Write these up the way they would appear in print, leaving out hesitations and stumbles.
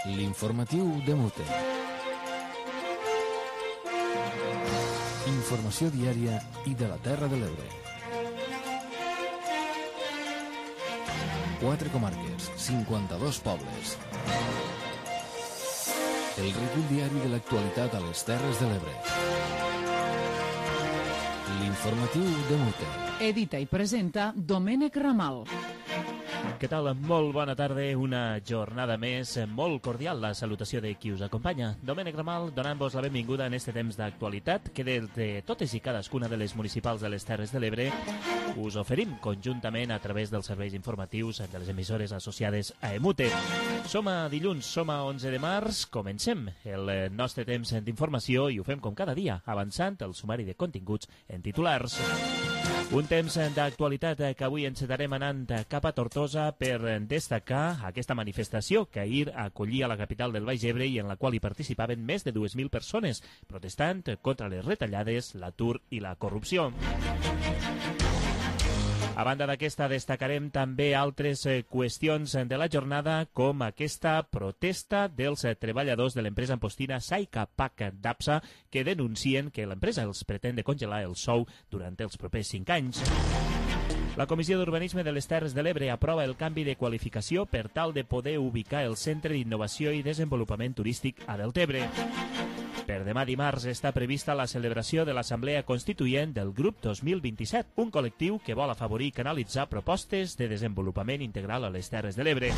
L'informatiu de Mute. Informació diària i de la Terra de l'Ebre. 4 comarques, 52 pobles. El recull diari de l'actualitat a les Terres de l'Ebre. L'informatiu de Mute. Edita i presenta Domènec Ramal. Què tal? Molt bona tarda, una jornada més, molt cordial la salutació de qui us acompanya. Domènec Ramal, donant-vos la benvinguda en este temps d'actualitat que des de totes i cadascuna de les municipals de les Terres de l'Ebre us oferim conjuntament a través dels serveis informatius de les emissores associades a EMUTE. Som a dilluns, som a 11 de març, comencem el nostre temps d'informació i ho fem com cada dia, avançant el sumari de continguts en titulars. Un temps d'actualitat que avui encetarem anant cap a Tortosa per destacar aquesta manifestació que ahir acollia la capital del Baix Ebre i en la qual hi participaven més de 2.000 persones, protestant contra les retallades, l'atur i la corrupció. A banda d'aquesta, destacarem també altres qüestions de la jornada, com aquesta protesta dels treballadors de l'empresa ampostina Saica Pac d'Apsa, que denuncien que l'empresa els pretén de congelar el sou durant els propers 5 anys. La Comissió d'Urbanisme de les Terres de l'Ebre aprova el canvi de qualificació per tal de poder ubicar el Centre d'Innovació i Desenvolupament Turístic a Deltebre. Per demà dimarts està prevista la celebració de l'Assemblea Constituent del Grup 2027, un col·lectiu que vol afavorir i canalitzar propostes de desenvolupament integral a les Terres de l'Ebre.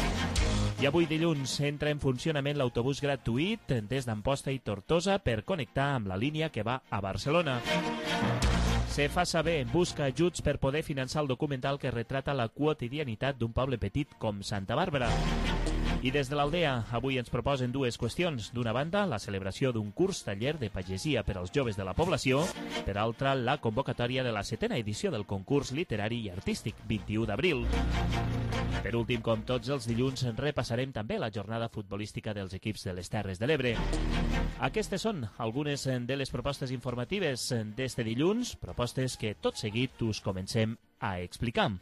I avui dilluns entra en funcionament l'autobús gratuït des d'Amposta i Tortosa per connectar amb la línia que va a Barcelona. Se fa saber, busca ajuts per poder finançar el documental que retrata la quotidianitat d'un poble petit com Santa Bàrbara. I des de l'Aldea, avui ens proposen dues qüestions. D'una banda, la celebració d'un curs taller de pagesia per als joves de la població. Per altra, la convocatòria de la 7a edició del concurs literari i artístic, 21 d'abril. Per últim, com tots els dilluns, repassarem també la jornada futbolística dels equips de les Terres de l'Ebre. Aquestes són algunes de les propostes informatives d'este dilluns, propostes que tot seguit us comencem a explicar.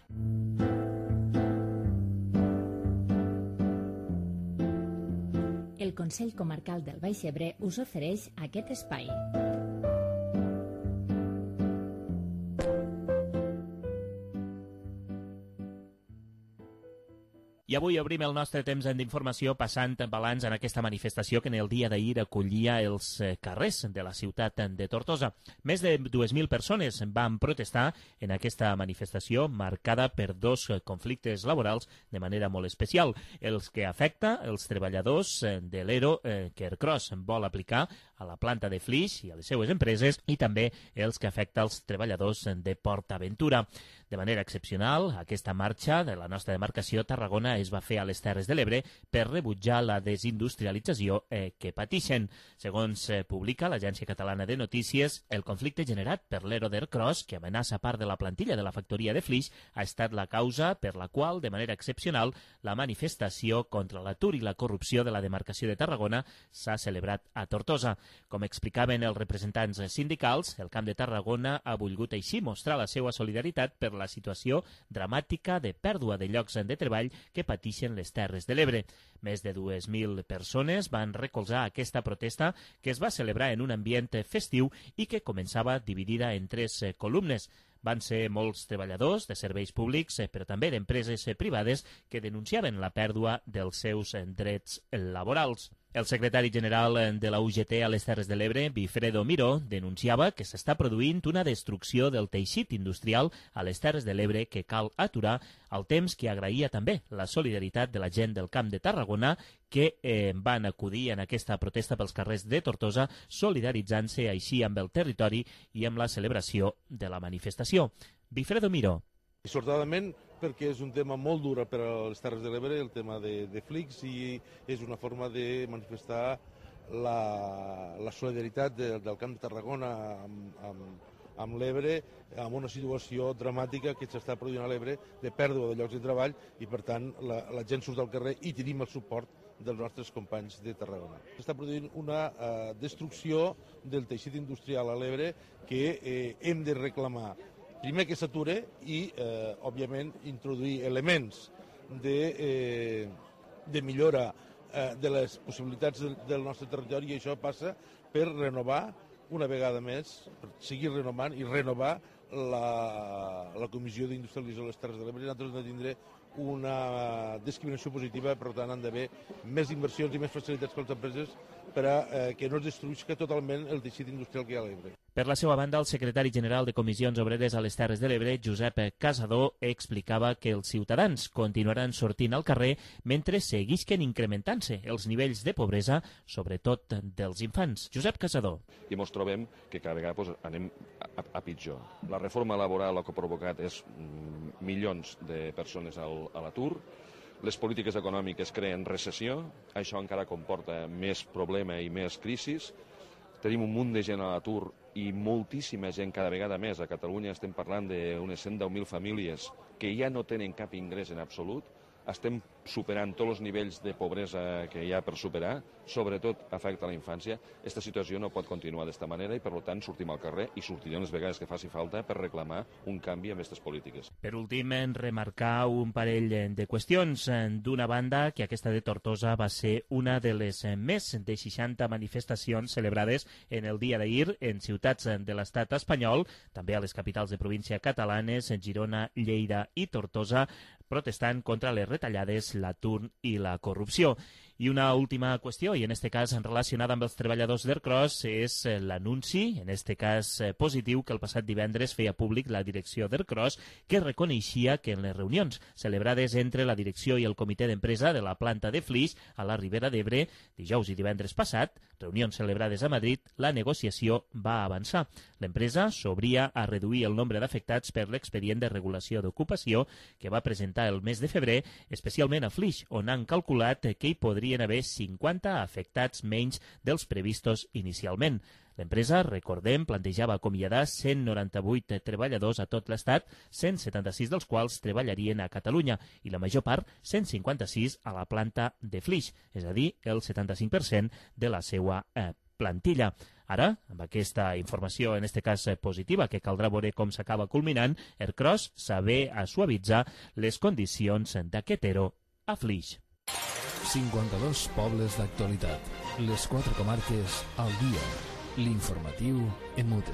El Consell Comarcal del Baix Ebre us ofereix aquest espai. I avui obrim el nostre temps d'informació passant balanç en aquesta manifestació que en el dia d'ahir acollia els carrers de la ciutat de Tortosa. Més de 2.000 persones van protestar en aquesta manifestació marcada per dos conflictes laborals de manera molt especial. Els que afecta els treballadors de l'ERO que Ercros vol aplicar a la planta de Flix i a les seues empreses i també els que afecta els treballadors de PortAventura. De manera excepcional, aquesta marxa de la nostra demarcació Tarragona es va fer a les Terres de l'Ebre per rebutjar la desindustrialització que patixen. Segons publica l'Agència Catalana de Notícies, el conflicte generat per l'ERO d'Ercros, que amenaça part de la plantilla de la factoria de Flix, ha estat la causa per la qual, de manera excepcional, la manifestació contra l'atur i la corrupció de la demarcació de Tarragona s'ha celebrat a Tortosa. Com explicaven els representants sindicals, el Camp de Tarragona ha volgut així mostrar la seva solidaritat per la situació dramàtica de pèrdua de llocs de treball que patixen les Terres de l'Ebre. Més de 2.000 persones van recolzar aquesta protesta que es va celebrar en un ambient festiu i que començava dividida en 3 columnes. Van ser molts treballadors de serveis públics, però també d'empreses privades que denunciaven la pèrdua dels seus drets laborals. El secretari general de la UGT a les Terres de l'Ebre, Wilfredo Miró, denunciava que s'està produint una destrucció del teixit industrial a les Terres de l'Ebre que cal aturar, al temps que agraïa també la solidaritat de la gent del Camp de Tarragona que van acudir en aquesta protesta pels carrers de Tortosa, solidaritzant-se així amb el territori i amb la celebració de la manifestació. Wilfredo Miró. Dissortadament, perquè és un tema molt dur per a les Terres de l'Ebre, el tema de Flix, i és una forma de manifestar la solidaritat del Camp de Tarragona amb l'Ebre, amb una situació dramàtica que s'està produint a l'Ebre de pèrdua de llocs de treball i, per tant, la gent surt al carrer i tenim el suport dels nostres companys de Tarragona. S'està produint una destrucció del teixit industrial a l'Ebre que hem de reclamar. Primer que s'ature i, òbviament, introduir elements de millora de les possibilitats del nostre territori, i això passa per renovar una vegada més, per seguir renovant i renovar la Comissió d'Industrialització de les Terres de l'Ebre. Nosaltres hem de tindre una discriminació positiva, per tant han d'haver més inversions i més facilitats per a les empreses per a que no es destruïsca totalment el teixit industrial que hi ha a l'Ebre. Per la seva banda, el secretari general de Comissions Obreres a les Terres de l'Ebre, Josep Casador, explicava que els ciutadans continuaran sortint al carrer mentre seguisquen incrementant-se els nivells de pobresa, sobretot dels infants. Josep Casador. I ens trobem que cada vegada anem a pitjor. La reforma laboral el que ha provocat és milions de persones a l'atur. Les polítiques econòmiques creen recessió, això encara comporta més problema i més crisis. Tenim un munt de gent a l'atur i moltíssima gent, cada vegada més. A Catalunya estem parlant d'unes 110.000 famílies que ja no tenen cap ingrés en absolut. Estem superant tots els nivells de pobresa que hi ha per superar, sobretot afecta a la infància. Aquesta situació no pot continuar d'esta manera i, per tant, sortim al carrer i sortirem les vegades que faci falta per reclamar un canvi en aquestes polítiques. Per últim, remarcar un parell de qüestions. D'una banda, que aquesta de Tortosa va ser una de les més de 60 manifestacions celebrades en el dia d'ahir en ciutats de l'estat espanyol, també a les capitals de província catalanes, Girona, Lleida i Tortosa, protestant contra les retallades, l'atur i la corrupció. I una última qüestió, i en aquest cas relacionada amb els treballadors d'Ercros, és l'anunci, en aquest cas positiu, que el passat divendres feia públic la direcció d'Ercros, que reconeixia que en les reunions celebrades entre la direcció i el comitè d'empresa de la planta de Flix a la Ribera d'Ebre, dijous i divendres passat, reunions celebrades a Madrid, la negociació va avançar. L'empresa s'obria a reduir el nombre d'afectats per l'expedient de regulació d'ocupació que va presentar el mes de febrer, especialment a Flix, on han calculat que hi podrien haver 50 afectats menys dels previstos inicialment. L'empresa, recordem, plantejava acomiadar 198 treballadors a tot l'Estat, 176 dels quals treballarien a Catalunya i la major part, 156, a la planta de Flix, és a dir, el 75% de la seva plantilla. Ara, amb aquesta informació, en aquest cas positiva, que caldrà veure com s'acaba culminant, Ercros saber a suavitzar les condicions d'aquest ERO a Flix. 52 pobles d'actualitat. Les 4 comarques al dia. L'informatiu en mute.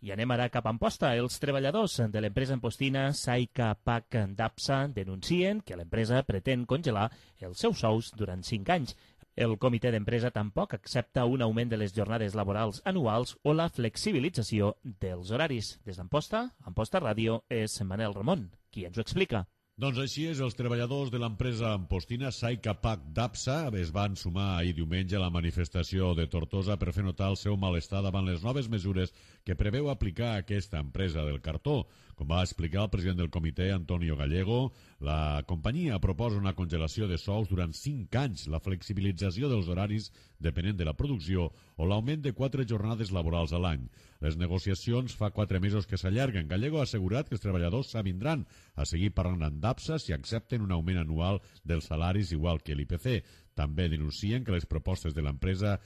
I anem ara cap a Amposta. Els treballadors de l'empresa ampostina Saica Pac d'Apsa denuncien que l'empresa pretén congelar els seus sous durant 5 anys. El comitè d'empresa tampoc accepta un augment de les jornades laborals anuals o la flexibilització dels horaris. Des d'Amposta, Amposta Ràdio, és Manel Ramon, qui ens ho explica. Doncs així és, els treballadors de l'empresa ampostina Saica Pac d'Apsa es van sumar ahir diumenge a la manifestació de Tortosa per fer notar el seu malestar davant les noves mesures que preveu aplicar aquesta empresa del cartó. Com va explicar el president del comitè, Antonio Gallego, la companyia proposa una congelació de sous durant 5 anys, la flexibilització dels horaris depenent de la producció o l'augment de 4 jornades laborals a l'any. Les negociacions fa 4 mesos que s'allarguen. Gallego ha assegurat que els treballadors s'avindran a seguir parlant amb d'Apsa si accepten un augment anual dels salaris igual que l'IPC. També denuncien que les propostes de l'empresa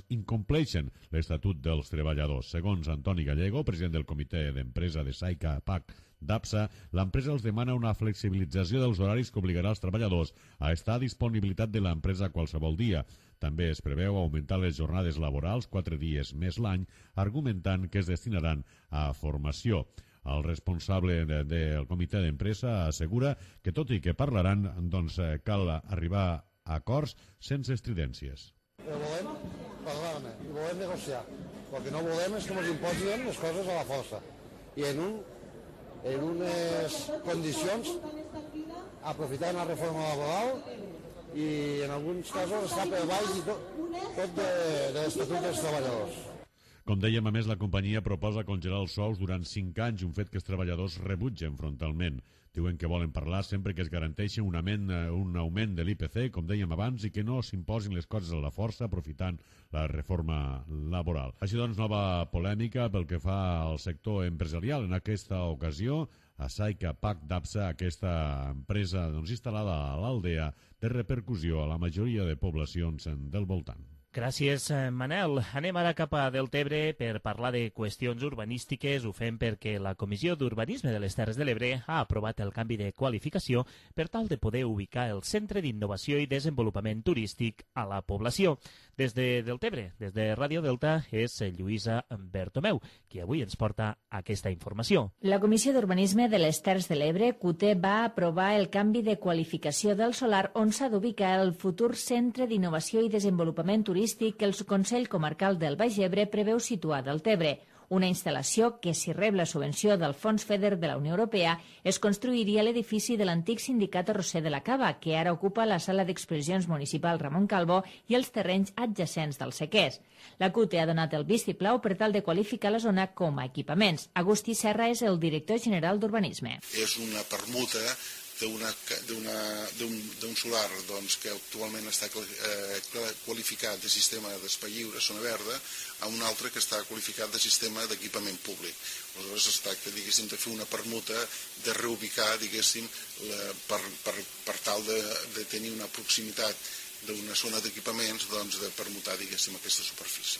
incompleixen l'Estatut dels Treballadors. Segons Antoni Gallego, president del comitè d'empresa de Saica Pac d'Apsa, l'empresa els demana una flexibilització dels horaris que obligarà els treballadors a estar a disponibilitat de l'empresa qualsevol dia. També es preveu augmentar les jornades laborals 4 dies més l'any, argumentant que es destinaran a formació. El responsable del comitè d'empresa assegura que, tot i que parlaran, cal arribar a acords sense estridències. Volem parlar-ne i volem negociar. El que no volem és que ens imposin les coses a la força. I en unes condicions aprofitant la reforma laboral i en alguns casos està per baix i tot de l'Estatut dels Treballadors. Com dèiem, a més, la companyia proposa congelar els sous durant 5 anys, un fet que els treballadors rebutgen frontalment. Diuen que volen parlar sempre que es garanteixi un augment de l'IPC, com dèiem abans, i que no s'imposin les coses a la força aprofitant la reforma laboral. Així doncs, nova polèmica pel que fa al sector empresarial. En aquesta ocasió, a Saica Pac d'Apsa, aquesta empresa instal·lada a l'Aldea, té repercussió a la majoria de poblacions del voltant. Gràcies, Manel. Anem ara cap a Deltebre per parlar de qüestions urbanístiques. Ho fem perquè la Comissió d'Urbanisme de les Terres de l'Ebre ha aprovat el canvi de qualificació per tal de poder ubicar el Centre d'Innovació i Desenvolupament Turístic a la població. Des de Deltebre, des de Ràdio Delta, és Lluïsa Bertomeu, qui avui ens porta aquesta informació. La Comissió d'Urbanisme de les Terres de l'Ebre, CUTE, va aprovar el canvi de qualificació del solar on s'ha d'ubicar el futur Centre d'Innovació i Desenvolupament Turístic que el Consell Comarcal del Baix Ebre preveu situar a Deltebre. Una instal·lació que, si rep la subvenció del Fons FEDER de la Unió Europea, es construiria a l'edifici de l'antic sindicat arrosser de la Cava, que ara ocupa la sala d'exposicions municipal Ramon Calvo i els terrenys adjacents del Sequers. La CUTE ha donat el vistiplau per tal de qualificar la zona com a equipaments. Agustí Serra és el director general d'Urbanisme. És una permuta d'un solar que actualment està qualificat de sistema d'espai lliure, zona verda, a un altre que està qualificat de sistema d'equipament públic. Aleshores es tracta, diguéssim, de fer una permuta, de reubicar, diguéssim, per tal de tenir una proximitat d'una zona d'equipaments, de permutar, diguéssim, aquesta superfície.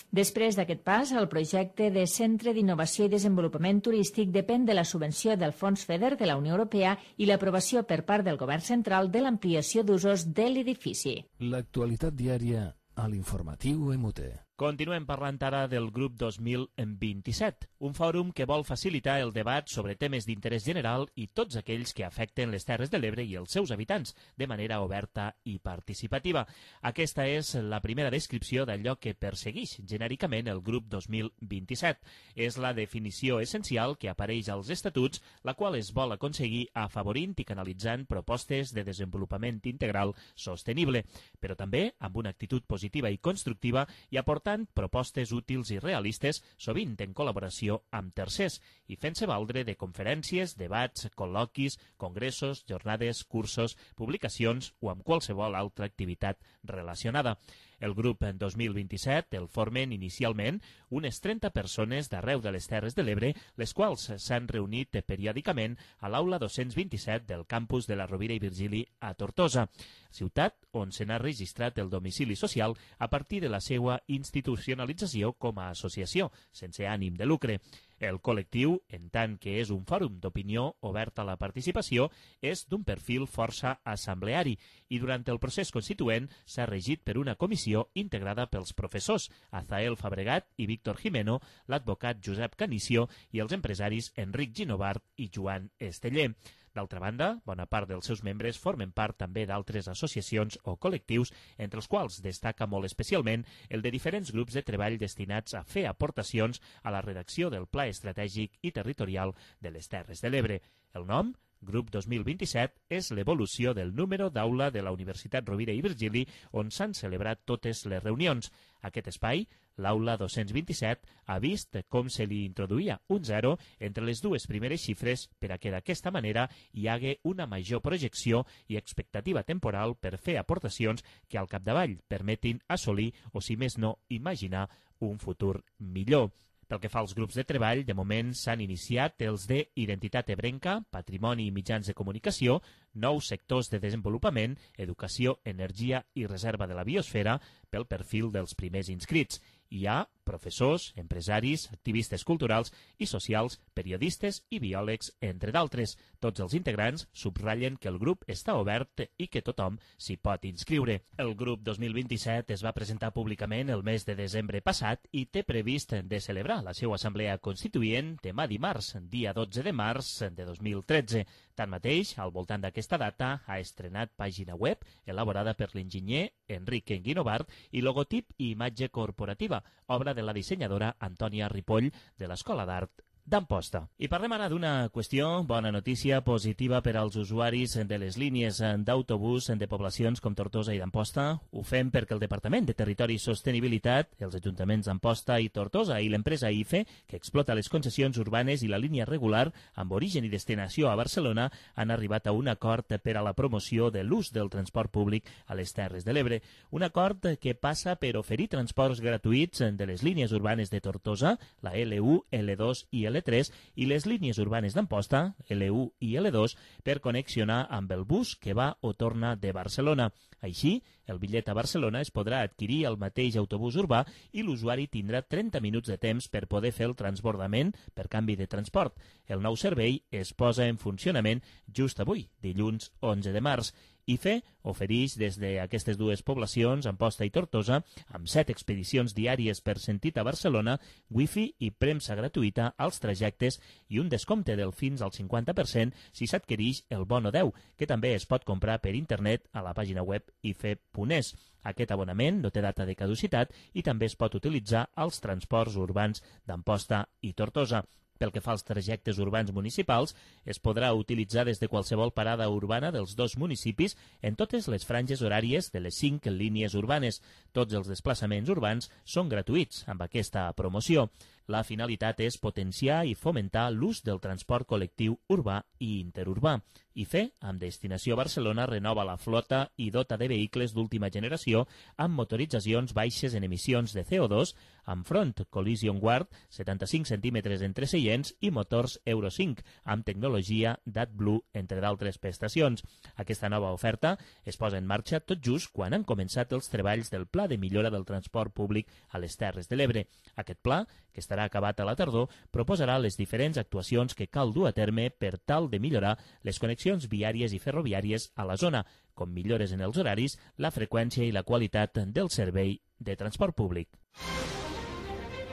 Després d'aquest pas, el projecte de Centre d'Innovació i Desenvolupament Turístic depèn de la subvenció del Fons FEDER de la Unió Europea i l'aprovació per part del Govern Central de l'ampliació d'usos de l'edifici. L'actualitat diària a l'informatiu MUT. Continuem parlant ara del grup 2027, un fòrum que vol facilitar el debat sobre temes d'interès general i tots aquells que afecten les Terres de l'Ebre i els seus habitants, de manera oberta i participativa. Aquesta és la primera descripció d'allò que persegueix genèricament el grup 2027. És la definició essencial que apareix als estatuts, la qual es vol aconseguir afavorint i canalitzant propostes de desenvolupament integral sostenible, però també amb una actitud positiva i constructiva i aportant propostes útils i realistes, sovint en col·laboració amb tercers, i fent-se valdre de conferències, debats, col·loquis, congressos, jornades, cursos, publicacions o amb qualsevol altra activitat relacionada. El grup 2027 el formen inicialment unes 30 persones d'arreu de les Terres de l'Ebre, les quals s'han reunit periòdicament a l'aula 227 del campus de la Rovira i Virgili a Tortosa, ciutat on se n'ha registrat el domicili social a partir de la seva institucionalització com a associació, sense ànim de lucre. El col·lectiu, en tant que és un fòrum d'opinió obert a la participació, és d'un perfil força assembleari i durant el procés constituent s'ha regit per una comissió integrada pels professors Azael Fabregat i Víctor Jimeno, l'advocat Josep Canicio i els empresaris Enric Ginovart i Joan Esteller. D'altra banda, bona part dels seus membres formen part també d'altres associacions o col·lectius, entre els quals destaca molt especialment el de diferents grups de treball destinats a fer aportacions a la redacció del Pla Estratègic i Territorial de les Terres de l'Ebre. El nom, Grup 2027, és l'evolució del número d'aula de la Universitat Rovira i Virgili on s'han celebrat totes les reunions. Aquest espai, l'aula 227, ha vist com se li introduïa un 0 entre les dues primeres xifres per a que d'aquesta manera hi hagué una major projecció i expectativa temporal per fer aportacions que al capdavall permetin assolir o, si més no, imaginar un futur millor. Pel que fa als grups de treball, de moment s'han iniciat els de Identitat Ebrenca, Patrimoni i Mitjans de Comunicació, nous sectors de desenvolupament, educació, energia i reserva de la biosfera pel perfil dels primers inscrits. Hi ha professors, empresaris, activistes culturals i socials, periodistes i biòlegs, entre d'altres. Tots els integrants subratllen que el grup està obert i que tothom s'hi pot inscriure. El grup 2027 es va presentar públicament el mes de desembre passat i té previst de celebrar la seva assemblea constituent demà dimarts, dia 12 de març de 2013. Tanmateix, al voltant d'aquesta data, ha estrenat pàgina web elaborada per l'enginyer Enric Guinovart i logotip i imatge corporativa, obra de la dissenyadora Antònia Ripoll de l'Escola d'Art d'Amposta. I parlem ara d'una qüestió, bona notícia, positiva per als usuaris de les línies d'autobús de poblacions com Tortosa i d'Amposta. Ho fem perquè el Departament de Territori i Sostenibilitat, els ajuntaments d'Amposta i Tortosa i l'empresa IFE, que explota les concessions urbanes i la línia regular amb origen i destinació a Barcelona, han arribat a un acord per a la promoció de l'ús del transport públic a les Terres de l'Ebre. Un acord que passa per oferir transports gratuïts de les línies urbanes de Tortosa, la L1, L2 i L3, L3 i les línies urbanes d'Amposta, L1 i L2, per connexionar amb el bus que va o torna de Barcelona. Així, el bitllet a Barcelona es podrà adquirir al mateix autobús urbà i l'usuari tindrà 30 minuts de temps per poder fer el transbordament per canvi de transport. El nou servei es posa en funcionament just avui, dilluns 11 de març. IFE ofereix des d'aquestes dues poblacions, Amposta i Tortosa, amb 7 expedicions diàries per sentit a Barcelona, wifi i premsa gratuïta als trajectes i un descompte del fins al 50% si s'adquireix el bono 10, que també es pot comprar per internet a la pàgina web ife.es. Aquest abonament no té data de caducitat i també es pot utilitzar als transports urbans d'Amposta i Tortosa. Pel que fa als trajectes urbans municipals, es podrà utilitzar des de qualsevol parada urbana dels dos municipis en totes les franges horàries de les 5 línies urbanes. Tots els desplaçaments urbans són gratuïts amb aquesta promoció. La finalitat és potenciar i fomentar l'ús del transport col·lectiu urbà i interurbà. IFE, amb destinació a Barcelona, renova la flota i dota de vehicles d'última generació amb motoritzacions baixes en emissions de CO2, amb front Collision Guard, 75 centímetres entre seients i motors Euro 5, amb tecnologia d'AdBlue, entre d'altres prestacions. Aquesta nova oferta es posa en marxa tot just quan han començat els treballs del Pla de Millora del Transport Públic a les Terres de l'Ebre. Aquest pla, que estarà acabat a la tardor, proposarà les diferents actuacions que cal dur a terme per tal de millorar les connexions viàries i ferroviàries a la zona, com millores en els horaris, la freqüència i la qualitat del servei de transport públic.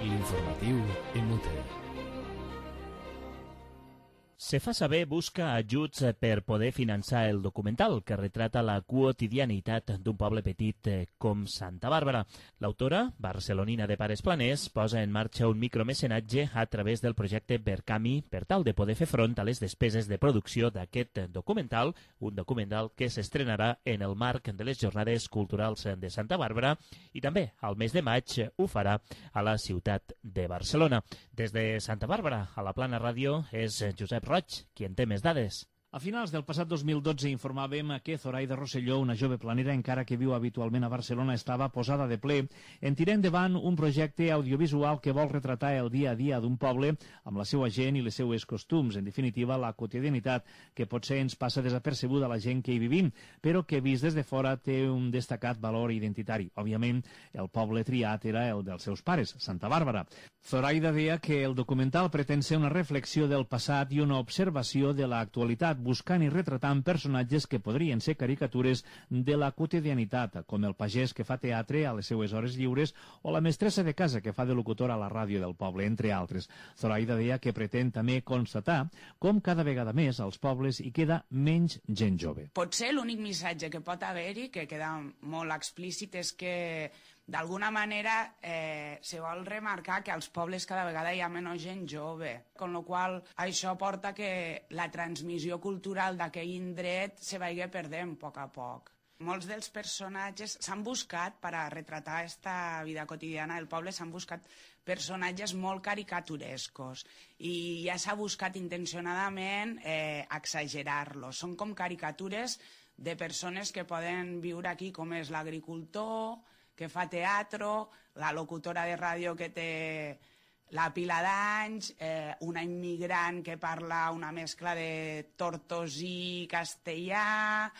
L'informatiu en Mute. Se fa saber busca ajuts per poder finançar el documental que retrata la quotidianitat d'un poble petit com Santa Bàrbara. L'autora, barcelonina de pares planers, posa en marxa un micromecenatge a través del projecte Verkami per tal de poder fer front a les despeses de producció d'aquest documental, un documental que s'estrenarà en el marc de les Jornades Culturals de Santa Bàrbara i també al mes de maig ho farà a la ciutat de Barcelona. Des de Santa Bàrbara, a la Plana Ràdio, és Josep Roig, qui en té més dades. A finals del passat 2012 informàvem que Zoraida Rosselló, una jove planera encara que viu habitualment a Barcelona, estava posada de ple en tirar endavant un projecte audiovisual que vol retratar el dia a dia d'un poble amb la seva gent i les seues costums, en definitiva la quotidianitat que potser ens passa desapercebuda a la gent que hi vivim, però que vist des de fora té un destacat valor identitari. Òbviament, el poble triat era el dels seus pares, Santa Bàrbara. Zoraida deia que el documental pretén ser una reflexió del passat i una observació de l'actualitat, buscant i retratant personatges que podrien ser caricatures de la quotidianitat, com el pagès que fa teatre a les seues hores lliures o la mestressa de casa que fa de locutora a la ràdio del poble, entre altres. Zoraida deia que pretén també constatar com cada vegada més als pobles hi queda menys gent jove. Potser l'únic missatge que pot haver-hi, que queda molt explícit, és que d'alguna manera se vol remarcar que als pobles cada vegada hi ha menys gent jove, amb la qual això porta que la transmissió cultural d'aquell indret se vagi perdent a poc. Molts dels personatges s'han buscat, per a retratar aquesta vida quotidiana del poble, s'han buscat personatges molt caricaturescos i ja s'ha buscat intencionadament exagerar-los. Són com caricatures de persones que poden viure aquí, com és l'agricultor, que fa teatre, la locutora de ràdio que té la pila d'anys, una immigrant que parla una mescla de tortosí i castellà.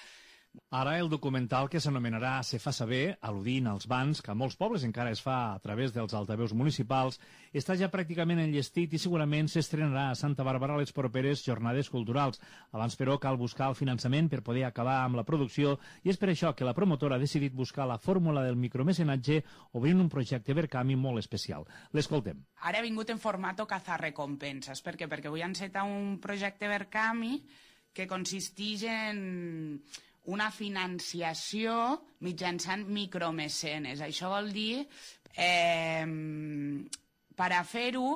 Ara el documental, que s'anomenarà Se fa saber, al·ludint als bans, que a molts pobles encara es fa a través dels altaveus municipals, està ja pràcticament enllestit i segurament s'estrenarà a Santa Bàrbara a les properes jornades culturals. Abans, però, cal buscar el finançament per poder acabar amb la producció i és per això que la promotora ha decidit buscar la fórmula del micromecenatge obrint un projecte Verkami molt especial. L'escoltem. Ara he vingut en format cazarrecompenses. Per què? Perquè vull encetar un projecte Verkami que consisteix en una financiació mitjançant micromecenes. Això vol dir, per a fer-ho,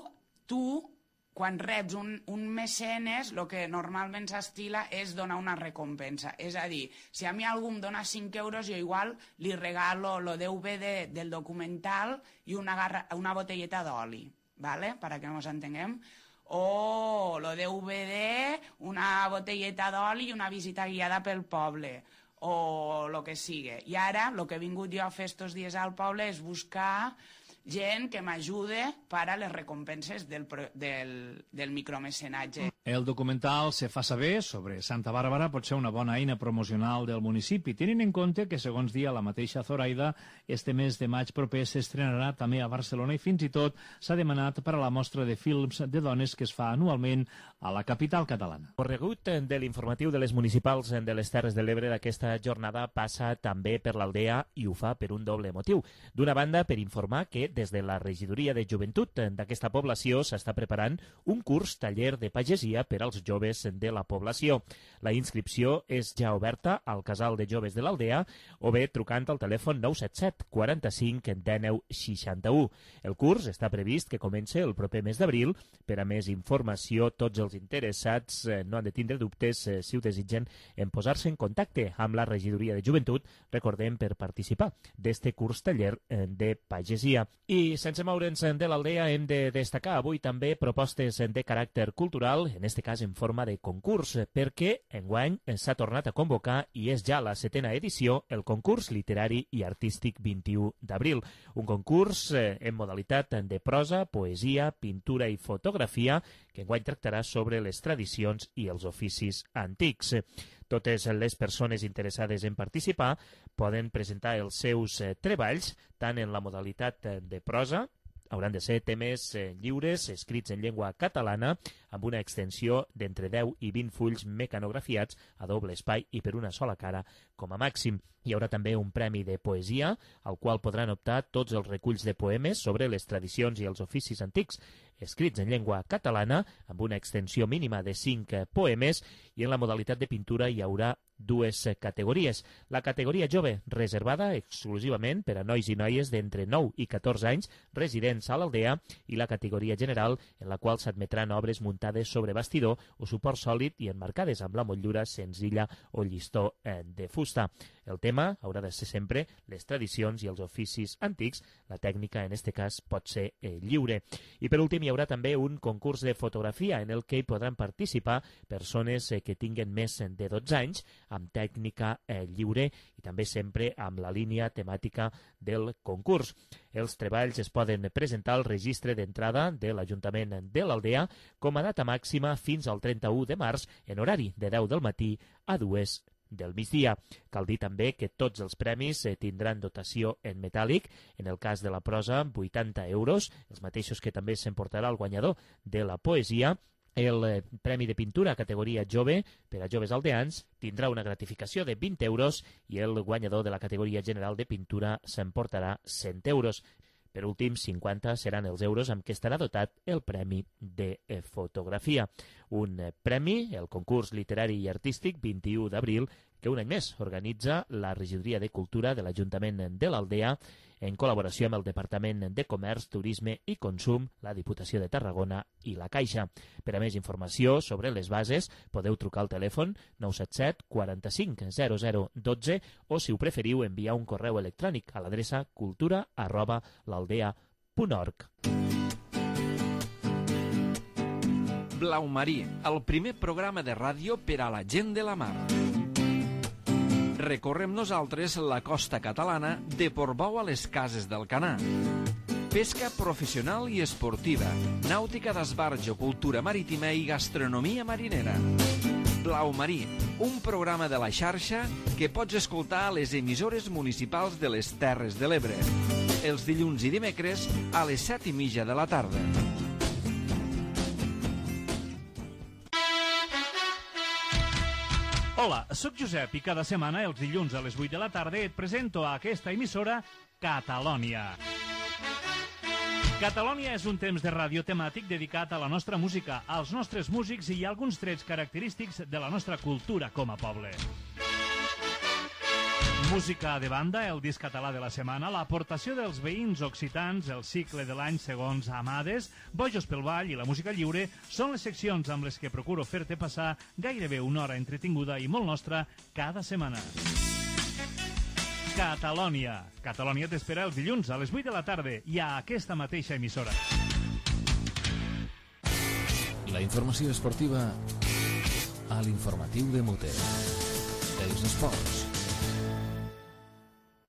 tu, quan reps un mecenes, el que normalment s'estila és donar una recompensa. És a dir, si a mi algú em dona 5 euros, jo igual li regalo el DVD del documental i una botelleta d'oli, ¿vale? Para que nos entenguem. O lo DVD, una botelleta d'oli i una visita guiada pel poble, o el que sigui. I ara, el que he vingut jo a fer estos dies al poble és buscar gent que m'ajude per a les recompenses del micromecenatge. El documental Se fa saber sobre Santa Bàrbara pot ser una bona eina promocional del municipi, tenint en compte que, segons dia la mateixa Zoraida, este mes de maig proper s'estrenarà també a Barcelona i fins i tot s'ha demanat per a la mostra de films de dones que es fa anualment a la capital catalana. Corregut de l'informatiu de les municipals de les Terres de l'Ebre d'aquesta jornada passa també per l'Aldea i ho fa per un doble motiu. D'una banda, per informar que des de la regidoria de joventut d'aquesta població s'està preparant un curs taller de pagesia per als joves de la població. La inscripció és ja oberta al casal de joves de l'Aldea o bé trucant al telèfon 977 45 19 61. El curs està previst que comenci el proper mes d'abril. Per a més informació, tots els interessats no han de tindre dubtes si ho desitgen en posar-se en contacte amb la regidoria de joventut, recordem, per participar d'este curs taller de pagesia. I sense moure'ns de l'Aldea hem de destacar avui també propostes de caràcter cultural, en este cas en forma de concurs, perquè enguany s'ha tornat a convocar i és ja la 7ª edició el concurs literari i artístic 21 d'abril. Un concurs en modalitat de prosa, poesia, pintura i fotografia que enguany tractarà sobre les tradicions i els oficis antics. Totes les persones interessades en participar poden presentar els seus treballs tant en la modalitat de prosa, hauran de ser temes lliures, escrits en llengua catalana, amb una extensió d'entre 10 i 20 fulls mecanografiats a doble espai i per una sola cara com a màxim. Hi haurà també un premi de poesia, al qual podran optar tots els reculls de poemes sobre les tradicions i els oficis antics, escrits en llengua catalana, amb una extensió mínima de 5 poemes, i en la modalitat de pintura hi haurà dues categories. La categoria jove, reservada exclusivament per a nois i noies d'entre 9 i 14 anys residents a l'Aldea, i la categoria general, en la qual s'admetran obres muntades sobre bastidor o suport sòlid i emmarcades amb la motllura senzilla o llistó de fusta. El tema haurà de ser sempre les tradicions i els oficis antics. La tècnica, en aquest cas, pot ser lliure. I per últim, hi haurà també un concurs de fotografia en el que hi podran participar persones que tinguen més de 12 anys, amb tècnica lliure i també sempre amb la línia temàtica del concurs. Els treballs es poden presentar al registre d'entrada de l'Ajuntament de l'Aldea com a data màxima fins al 31 de març en horari de 10 del matí a 2 del migdia. Cal dir també que tots els premis tindran dotació en metàl·lic, en el cas de la prosa 80 euros, els mateixos que també s'emportarà el guanyador de la poesia. El premi de pintura categoria jove per a joves aldeans tindrà una gratificació de 20 euros i el guanyador de la categoria general de pintura s'emportarà 100 euros. Per últim, 50 seran els euros amb què estarà dotat el premi de fotografia. Un premi, el concurs literari i artístic 21 d'abril, que un any més organitza la Regidoria de Cultura de l'Ajuntament de l'Aldea en col·laboració amb el Departament de Comerç, Turisme i Consum, la Diputació de Tarragona i la Caixa. Per a més informació sobre les bases podeu trucar al telèfon 977 45 0012 o, si ho preferiu, enviar un correu electrònic a l'adreça cultura@l'aldea.org. Blau Marí, el primer programa de ràdio per a la gent de la mar. Recorrem nosaltres la costa catalana de Portbou a les Cases d'Alcanar. Pesca professional i esportiva, nàutica d'esbarjo, cultura marítima i gastronomia marinera. Blau Marí, un programa de la xarxa que pots escoltar a les emissores municipals de les Terres de l'Ebre. Els dilluns i dimecres a les 7:30 de la tarda. Hola, sóc Josep i cada setmana, els dilluns a les 8 de la tarda, et presento a aquesta emissora Catalònia. Catalònia és un temps de ràdio temàtic dedicat a la nostra música, als nostres músics i a alguns trets característics de la nostra cultura com a poble. Música de banda, el disc català de la setmana, l'aportació dels veïns occitans, el cicle de l'any segons Amades, Bojos pel Ball i la música lliure són les seccions amb les que procuro fer-te passar gairebé una hora entretinguda i molt nostra cada setmana. Catalònia. Catalònia t'espera els dilluns a les 8 de la tarda i a aquesta mateixa emissora. La informació esportiva a l'informatiu de Muter. Els esports.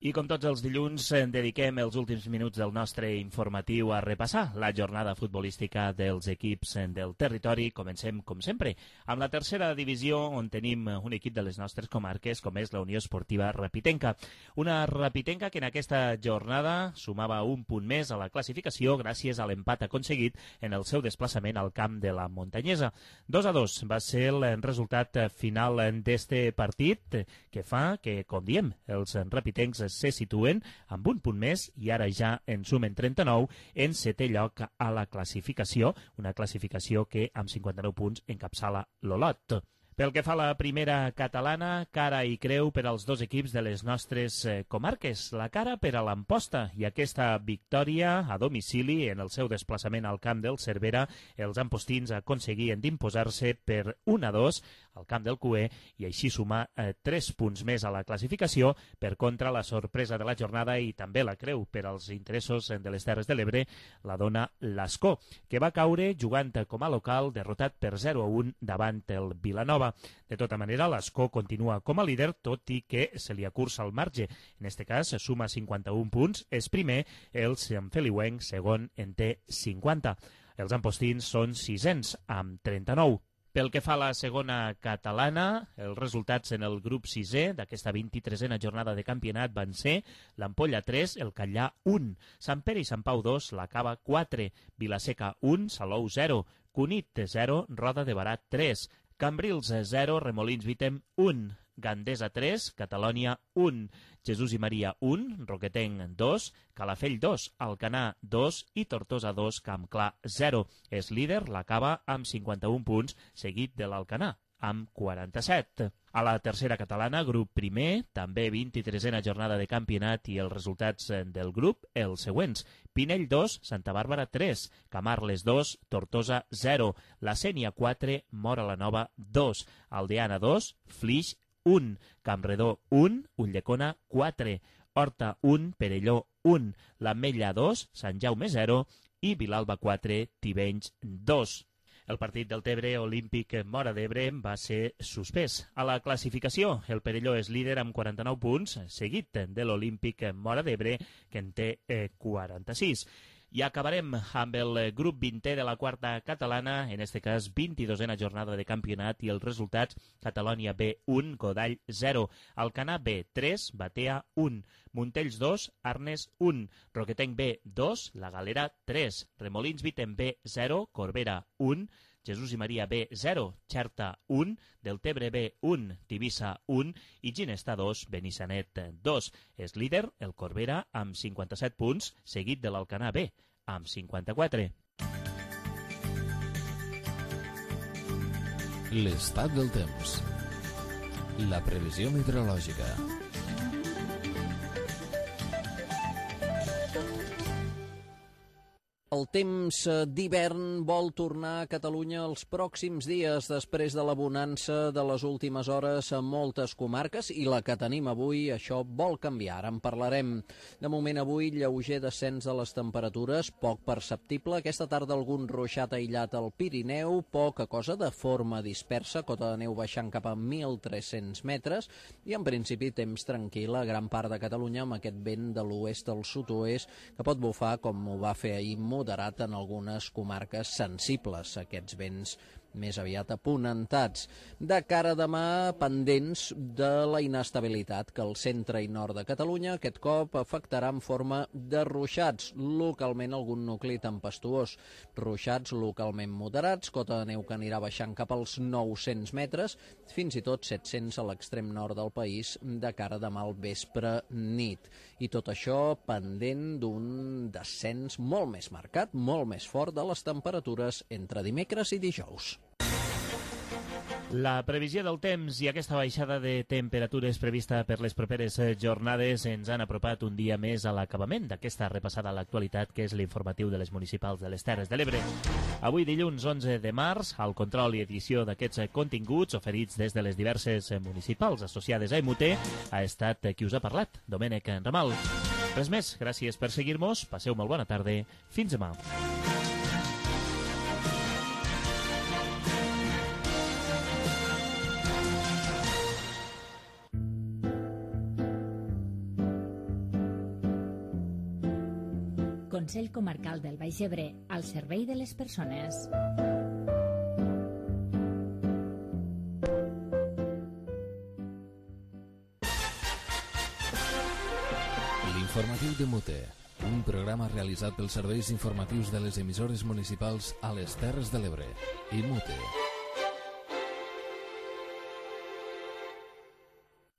I com tots els dilluns, dediquem els últims minuts del nostre informatiu a repassar la jornada futbolística dels equips del territori. Comencem, com sempre, amb la tercera divisió, on tenim un equip de les nostres comarques, com és la Unió Esportiva Rapitenca. Una Rapitenca que en aquesta jornada sumava un punt més a la classificació gràcies a l'empat aconseguit en el seu desplaçament al camp de la Montanyesa. 2-2 va ser el resultat final d'este partit, que fa que, com diem, els rapitencs se situen amb un punt més i ara ja en sumen 39 en setè lloc a la classificació, una classificació que amb 59 punts encapçala l'Olot. Pel que fa a la primera catalana, cara i creu per als dos equips de les nostres comarques. La cara per a l'Amposta i aquesta victòria a domicili en el seu desplaçament al camp del Cervera, els ampostins aconseguien d'imposar-se per 1-2 al camp del Cué i així sumar 3 punts més a la classificació. Per contra, la sorpresa de la jornada i també la creu per als interessos de les Terres de l'Ebre la dona l'Ascó, que va caure jugant com a local, derrotat per 0-1 davant el Vilanova. De tota manera, l'Ascó continua com a líder, tot i que se li acurça el marge. En aquest cas, suma 51 punts, és primer, el Sant Feliuenc segon en té 50. Els ampostins són sisens, amb 39. Pel que fa a la segona catalana, els resultats en el grup 6è d'aquesta 23a jornada de campionat van ser l'Ampolla 3, el Catllà 1, Sant Pere i Sant Pau 2, la Cava 4, Vilaseca 1, Salou 0, Cunit 0, Roda de Barà 3, Cambrils 0, Remolins Vitem 1, Gandesa 3, Catalònia 1, Jesús i Maria 1, Roquetenc 2, Calafell 2, Alcanar 2 i Tortosa 2, Campclar 0. És líder la Cava amb 51 punts, seguit de l'Alcanar amb 47. A la tercera catalana, grup primer, també 23a jornada de campionat i els resultats del grup, els següents. Pinell 2, Santa Bàrbara 3, Camarles 2, Tortosa 0, La Sénia 4, Móra la Nova 2, Aldeana 2, Flix 1, Campredó 1, Ulldecona 4, Horta 1, Perelló 1, l'Ametlla 2, Sant Jaume 0 i Vilalba 4, Tivenys 2. El partit del Tebre Olímpic Móra d'Ebre va ser suspès. A la classificació, el Perelló és líder amb 49 punts, seguit de l'Olímpic Móra d'Ebre, que en té 46. I acabarem amb el grup 20è de la quarta catalana, en este cas 22a jornada de campionat i els resultats: Catalònia B 1, Godall 0, Alcanar B 3, Batea 1, Montells 2, Arnes 1, Roquetenc B 2, La Galera 3, Remolins Vitem B 0, Corbera 1, Jesús i Maria B 0, Xerta 1, Deltebre B 1, Tivissa 1 i Ginesta 2, Benissanet 2. És líder el Corbera amb 57 punts, seguit de l'Alcanar B amb 54. L'estat del temps. La previsió meteorològica. El temps d'hivern vol tornar a Catalunya els pròxims dies després de la bonança de les últimes hores a moltes comarques i la que tenim avui, això vol canviar. Ara en parlarem. De moment avui, lleuger descens de les temperatures, poc perceptible. Aquesta tarda algun ruixat aïllat al Pirineu, poca cosa de forma dispersa, cota de neu baixant cap a 1.300 metres i en principi temps tranquil a gran part de Catalunya amb aquest vent de l'oest al sud-oest que pot bufar com ho va fer ahir moderat en algunes comarques sensibles, aquests vents més aviat aponentats. De cara a demà, pendents de la inestabilitat que el centre i nord de Catalunya aquest cop afectarà en forma de ruixats, localment algun nucli tempestuós. Ruixats localment moderats, cota de neu que anirà baixant cap als 900 metres, fins i tot 700 a l'extrem nord del país de cara a demà al vespre nit. I tot això pendent d'un descens molt més marcat, molt més fort de les temperatures entre dimecres i dijous. La previsió del temps i aquesta baixada de temperatures prevista per les properes jornades ens han apropat un dia més a l'acabament d'aquesta repassada a l'actualitat que és l'informatiu de les municipals de les Terres de l'Ebre. Avui dilluns 11 de març, al control i edició d'aquests continguts oferits des de les diverses municipals associades a EMUTE ha estat qui us ha parlat, Domènec Ramal. Res més, gràcies per seguir-nos, passeu molt bona tarda, fins demà. Consell Comarcal del Baix Ebre, al servei de les persones. L'informatiu de Mute, un programa realitzat pels serveis informatius de les emissores municipals a les Terres de l'Ebre i Mute.